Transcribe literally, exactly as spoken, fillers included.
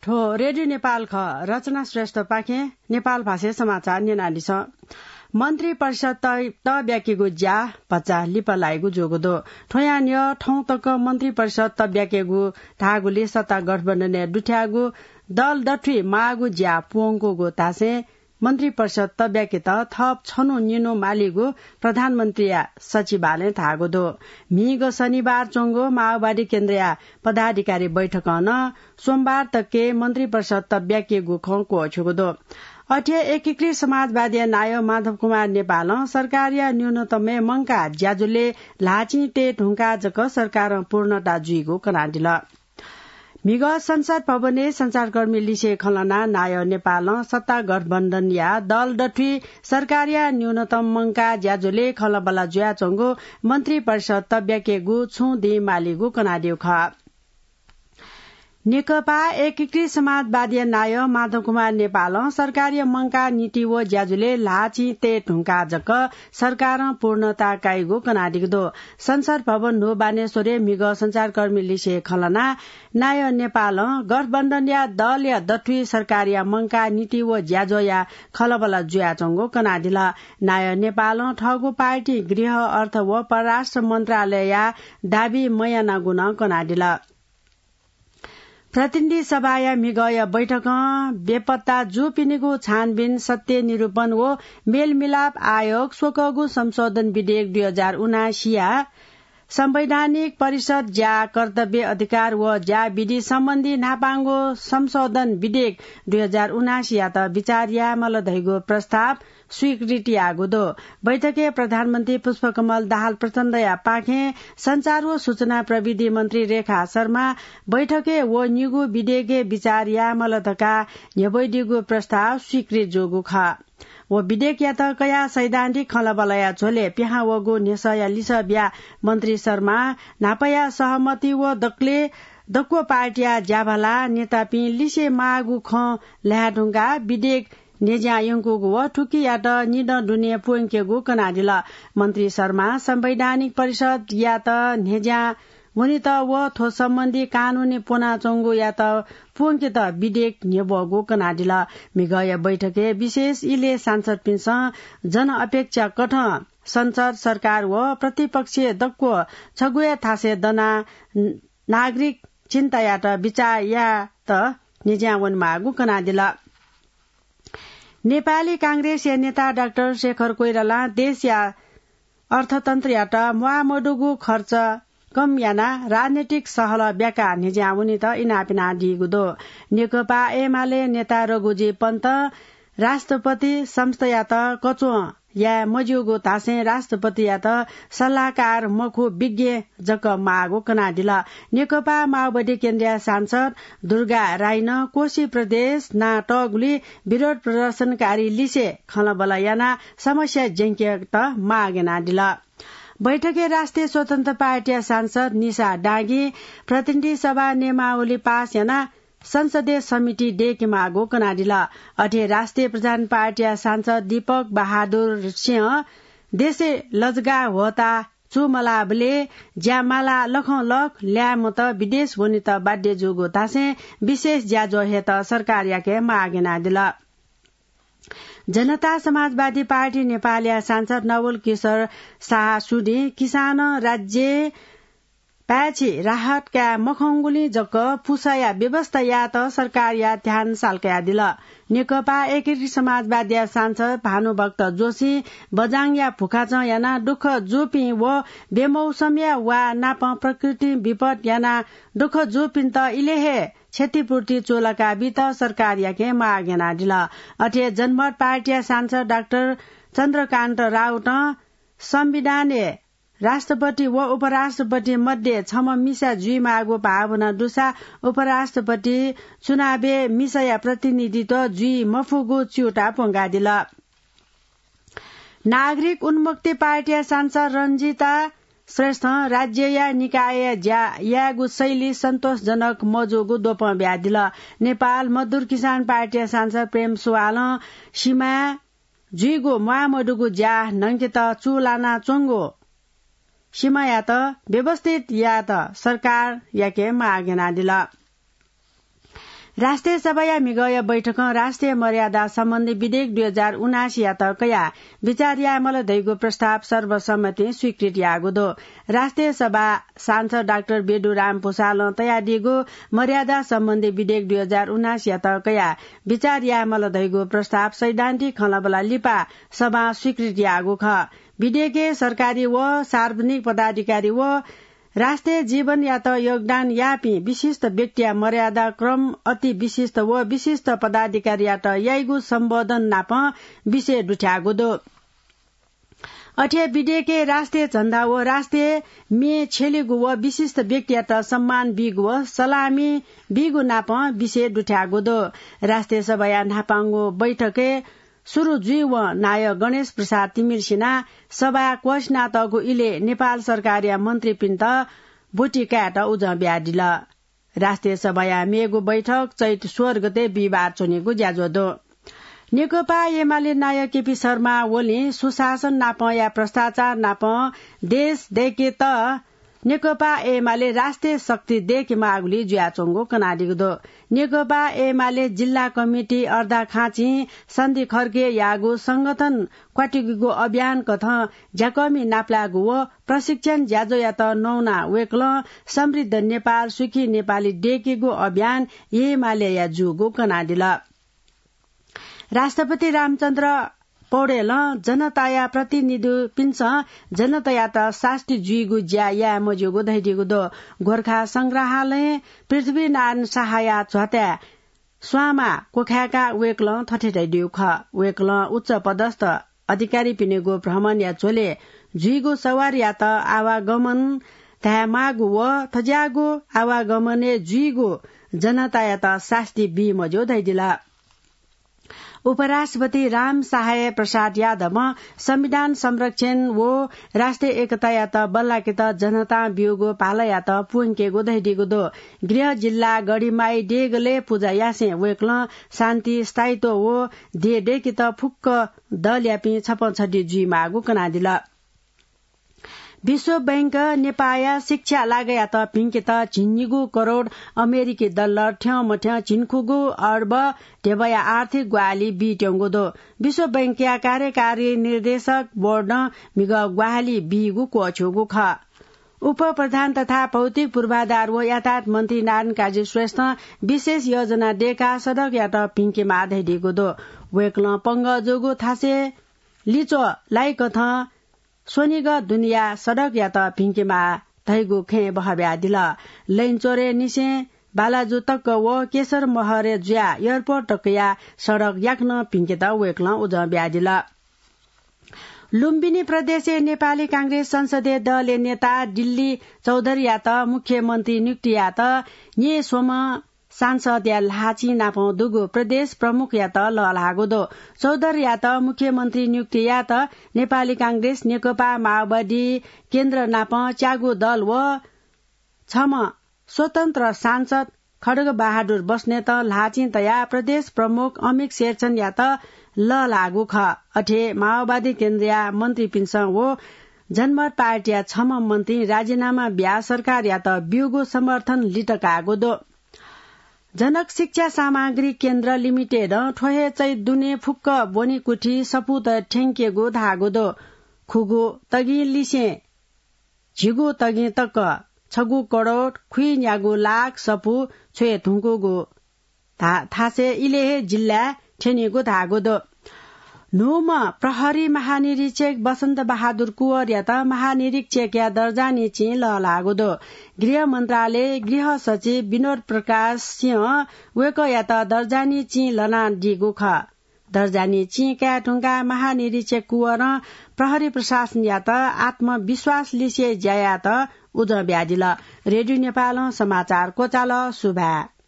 थ्व रेडियो नेपाल खः। रचना श्रेष्ठपाखें नेपाल भाषाय् समाचार न्यनादिसँ। मन्त्री परिषद त, त ब्याकेगु ज्या भचा लिपा लाइगु जूगु दु। थ्वयां न्ह्यः थौं तक मन्त्री परिषद त ब्याकेगु धाःगुलिं सत्ता गठबन्धनय् दुथ्याःगु दल दथुइ माःगु ज्या प्वंकूगु धासें मन्त्री परिषद त ब्याकेत थप छन्हु निन्हु मालीगु प्रधानमन्त्रीया सचिवालयं धाःगु दु। म्हिगः शनिबार च्वंगु माओवादी केन्द्रया पदाधिकारी बैठकं नं सोमबार तकय् मन्त्री परिषद त ब्याकेगु खँ क्वःछ्यूगु दु। अथे एकीकृत समाजवादीया नायः माधव कुमार नेपालं सरकारया न्यूनतमय् मंकाः ज्याझ्वलय् ल्हाःचिं तये धुंकाः जक सरकारं पूर्णता जुइगु कनादिल। म्हिगः संसद भवनय् सञ्चारकर्मी लिसे खँ ल्हानाः नायः नेपालं सत्ता गठबन्धनया दल दथुइ सरकारया न्यूनतम मंकाः ज्याझ्वलय् खँल्हाबल्हा जुयाच्वंगु मन्त्री परिषद त ब्याकेगु छुं दिं मालीगु कनादीगु खः। नेकपा एकीकृत समाजवादीया नायः माधव कुमार नेपालं सरकारया मंकाः नीति व ज्याझ्वलय् ल्हाःचिं तये धुंकाः जक सरकारं पूर्णता काइगु कनादीगु दु। संसद भवन न्हू बानेश्वरय् म्हिगः सञ्चारकर्मी लिसे खँ ल्हानाः नायः नेपालं गठबन्धनया दलया दथुइ सरकारया मंकाः नीति व ज्याझ्वःया खँल्हाबल्हा जुयाच्वंगु कनादिल। नायः नेपालं थःगु पार्टी गृह, अर्थ व परराष्ट्र मन्त्रालयया दाबी मयानागु नं कनादिल। प्रतिनिधि सभाया म्हिगःया बैठकं बेपत्ता जूपिनिगु छानबिन, सत्य निरूपण व मेलमिलाप आयोग स्वकःगु संशोधन विधेयक दुई हजार उनासीया संवैधानिक परिषद ज्या, कर्तव्य, अधिकार व ज्या विधि सम्बन्धी न्हापांगु संशोधन विधेयक दुई हजार उनासीयात विचार यायेमाल धइगु प्रस्ताव स्वीकृति याःगु दु। बैठकय् प्रधानमन्त्री पुष्पकमल दाहाल प्रचण्डया पाखें सञ्चार व सूचना प्रविधि मन्त्री रेखा शर्मा बैठकय् व निगू विधेयकय् विचार यायेमाल धकाः न्ह्यब्वइदीगु प्रस्ताव स्वीकृत जूगु खः। व विधेयकयात कयाः सैद्धान्तिक खँल्हाबल्हाया झ्वलय् पिहां वःगु न्ह्यसःया लिसः बियाः मन्त्री शर्मां न्हापाया सहमति व दकलय् दक्व पार्टीया ज्याभाला नेतापिं लिसे माःगु खँ ल्हाये धुंकाः विधेयक न्ह्यज्यां यंकूगु व थुकियात निदँ दुने प्वंकेगु कनादिल। मन्त्री शर्मां संवैधानिक परिषदयात न्ह्यज्यां वनेत व थ्व सम्बन्धी कानूनी प्वनाच्वंगुयात प्वंकेत विधेयक न्ह्यब्वःगु कनादिल। म्हिगःया बैठकय् विशेष इलय् सांसदपिन्सं जनअपेक्षाकथं संसद, सरकार व प्रतिपक्षय् दक्व छगू हे थासय् दनाः नागरिक चिन्तायात बिचाः यायेत न्ह्यज्यां वनेमाःगु कनादिल। नेपाली कांग्रेसया नेता डाक्टर शेखर कोइरालां देशया अर्थतन्त्रयात म्वाःमदुगु खर्च कम यानाः राजनैतिक सहलह ब्याकाः न्ह्यज्यां वनेत इनाप यानादीगु दु। नेकपा एमाले नेता रघुजी पन्तं राष्ट्रपति संस्थायात कच्वं याये मज्यूगु धासें राष्ट्रपतियात सल्लाहकार मखु, विज्ञ जक माःगु कनादिल। नेकपा माओवादी केन्द्रया सांसद दुर्गा राईनं कोशी प्रदेश नां तःगुलिं विरोध प्रदर्शनकारी लिसे खँल्हाबल्हा यानाः समस्या ज्यंकेत माग यानादिल। बैठकय् राष्ट्रिय स्वतन्त्र पार्टीया सांसद निशा डाँगीं प्रतिनिधि सभा नियमावली पास यानाः संसदीय समिति दयेकेमाःगु कनादिल। अथे राष्ट्रिय प्रधान पार्टीया सांसद दीपक बहादुर सिंहं देशय् लजगाः ह्वःताः चूमलाःबलय् ज्या मालाः लखंलख ल्याय्म्हत विदेश वनेत बाध्य जूगु धासें विशेष ज्याझ्वः हयेत सरकारयाके माग यानादिल। जनता समाजवादी पार्टी नेपालया सांसद नवल किशोर शाह सुदिं किसानं राज्यय् पाय्छि राहत काये मखंगुलिं जक पुसाया व्यवस्था यायेत सरकारया ध्यान सालकयादिल। नेकपा एकीकृत समाजवादीया सांसद भानुभक्त जोशीं बजाङया भुखाचं यानाः दुःख जूपिं व बेमौसमया वा नापं प्राकृतिक विपत यानाः दुःख जूपिन्त इलय् हे क्षतिपूर्ति चूलाका बीत सरकारयाके माग यानादिल। अथे जनमत पार्टीया सांसद डाक्टर चन्द्रकान्त राउतं संविधानय् राष्ट्रपति व उपराष्ट्रपति मध्ये छम्ह मिसा जुइमाःगु भावना दुसा उपराष्ट्रपति चुनावय् मिसाया प्रतिनिधित्व जुइ मफुगु च्यूताः प्वंकादिल। नागरिक उन्मुक्ति पार्टीया सांसद रञ्जिता श्रेष्ठं राज्यया निकायया ज्या यायेगु शैली सन्तोषजनक मजूगु द्वपं बियादिल। नेपाल मजदुर किसान पार्टीया सांसद प्रेम सुवालं सिमाय् जुइगु म्वाःमदुगु ज्या न्हंकेत चूलानाच्वंगु सिमायात व्यवस्थित यायेत सरकारयाके माग यानादिल। राष्ट्रिय सभाया म्हिगःया बैठकं राष्ट्रिय मर्यादा सम्बन्धी विधेयक दुई हजार उनासीयात कयाः विचार यायेमाल धइगु प्रस्ताव सर्वसम्मतिं स्वीकृत याःगु दु। राष्ट्रिय सभा सांसद डाक्टर बेदुराम भुसालं तयादीगु मर्यादा सम्बन्धी विधेयक दुई हजार उनासीयात कयाः विचार यायेमाल धइगु प्रस्ताव सैद्धान्तिक खँल्हाबल्हा लिपा सभां स्वीकृत याःगु खः। विधेयकय् सरकारी व सार्वजनिक पदाधिकारी व राष्ट्रिय जीवनयात योगदान याःपिं विशिष्ट व्यक्तिया मर्यादा क्रम, अति विशिष्ट व विशिष्ट पदाधिकारीयात याइगु सम्बोधन नाप विषय दुथ्याःगु दु। अथे विधेयकय् राष्ट्रिय झण्डा व राष्ट्रिय म्ये छ्यलेगु व विशिष्ट व्यक्तियात सम्मान बीगु व सलामी बीगु नाप विषय दुथ्याःगु दु। राष्ट्रिय सभाया न्हापांगु बैठकय् सुरु जुइवं नायः गणेश प्रसाद तिमिल्सिनां सभा क्वःछिनातःगु इलय् नेपाल सरकारया मन्त्रीपिन्त ब्वति कायेत उजं बियादिल। राष्ट्रिय सभाया मेगु बैठक चैत सोह्र गते बिहिबार च्वनेगु ज्याझ्वः दु। नेकपा एमाले नायः केपी शर्मा ओलीं सुशासन नापं या भ्रष्टाचार नापं देश दय्केत नेकपा एमाले राष्ट्रिय शक्ति दय्केमाःगुलिइ जुयाच्वंगु कनादीगु दु। नेकपा एमाले जिल्ला कमिटी अर्धाखाँचिं सन्धि खर्के याःगु संगठन क्वातिकेगु अभियान कथं ज्याकःमि नापलायेगु व प्रशिक्षण ज्याझ्वःयात नवानाः वय्कलं समृद्ध नेपाल, सुखी नेपाली दय्केगु अभियान एमालेया जूगु कनादिल। राष्ट्रपति रामचन्द्र पौडेलं जनताया प्रतिनिधिपिन्सं जनतायात सास्ती जुइगु ज्या याये मज्यूगु धयादीगु दु। गोर्खा संग्रहालयं पृथ्वीनारायण शाहया झ्वाताय् स्वांमा क्वखाय्काः वय्कलं थथे धयादीगु खः। वय्कलं उच्च पदस्थ अधिकारीपिनिगु भ्रमणया झ्वलय् जुइगु सवारीयात आवागमन धायेमाःगु व थज्याःगु आवागमनय् जुइगु जनतायात सास्ती बी मज्यू धयादिल। उपराष्ट्रपति राम सहाय प्रसाद यादवं संविधान संरक्षण व राष्ट्रिय एकतायात बल्लाकेत जनतां ब्यूगु भालायात प्वंकेगु धयादीगु दु। गृह जिल्ला गढीमाई देगलय् पुजा यासें वय्कलं शान्ति, स्थायित्व व देय् दय्केत फुक्क दलयापिं छप्पँ छधी जुइमाःगु कनादिल। विश्व बैंक नेपाःया शिक्षा लागःयात भिंकेत झिंनिगू करोड अमेरिकी डलर थ्यंमथ्यं झिंखुगू अर्ब ध्यबाया आर्थिक ग्वाहालि बीत्यंगु दु। विश्व बैंकया कार्यकारी निर्देशक बोर्डं म्हिगः ग्वाहालि बीगु क्वःछ्यूगु खः। उपप्रधान तथा भौतिक पूर्वाधार व यातायात मन्त्री नारायण काजी श्रेष्ठं विशेष योजना दय्काः सडकयात भिंकेमाः धयादीगु दु। वय्कलं पंगः जूगु थासय् लिच्वः लाइकथं स्वनिगः दुनेया सडकयात भिंकेमाः धइगु खँय् बहःबियादिल। लैनचोरय् निसें बालाजु तक व केशरमहरय् जुयाः एयरपोर्ट तकया सडक याकनं भिंकेत वय्कलं उजं बियादिल। लुम्बिनी प्रदेशय् नेपाली कांग्रेस संसदीय दलया नेता दिल्ली चौधरीयात मुख्यमन्त्री नियुक्ति यायेत न्येस्वम्ह सांसदया ल्हाःचिं नापं दुगु प्रदेश प्रमुखयात लःल्हाःगु दु। चौधरीयात मुख्यमन्त्री नियुक्ति यायेत नेपाली कांग्रेस, नेकपा माओवादी केन्द्र नापं च्यागू दल व छम्ह स्वतन्त्र सांसद खड्गबहादुर बस्नेतं ल्हाःचिं तयाः प्रदेश प्रमुख अमिक शेरचनयात लःल्हाःगु खः। अथे माओवादी केन्द्रया मन्त्रीपिन्सं व जनमत पार्टीया छम्ह मन्त्रीं राजीनामा बियाः सरकारयात ब्यूगु समर्थन लित काःगु दु। जनक शिक्षा सामग्री केन्द्र लिमिटेडं थ्व हे चैत दुने फुक्क ब्वनिकुथि सफूत थ्यंकेगु धाःगु दु। खुगू तगिं लिसें झिगू तगिं तक छगू करोड खुइन्यागू लाख सफू छ्वये धुंकूगु धा-, थासय् इलय् हे जिल्लाय् थ्यनीगु धाःगु दु। न्हूम्ह प्रहरी महानिरीक्षक वसन्त बहादुर कुँवरयात महानिरीक्षकया दर्जानी चिं लःल्हाःगु दु। गृह मन्त्रालय गृह सचिव विनोद प्रकाश सिंहं वय्कःयात दर्जानी चिं लनादीगु खः। दर्जानी चिं काये धुंकाः महानिरीक्षक कुँवरं प्रहरी प्रशासनयात आत्मविश्वास लिसे ज्या यायेत उजं बियादिल। रेडियो नेपालं समाचार क्वचाल। सुभाय्।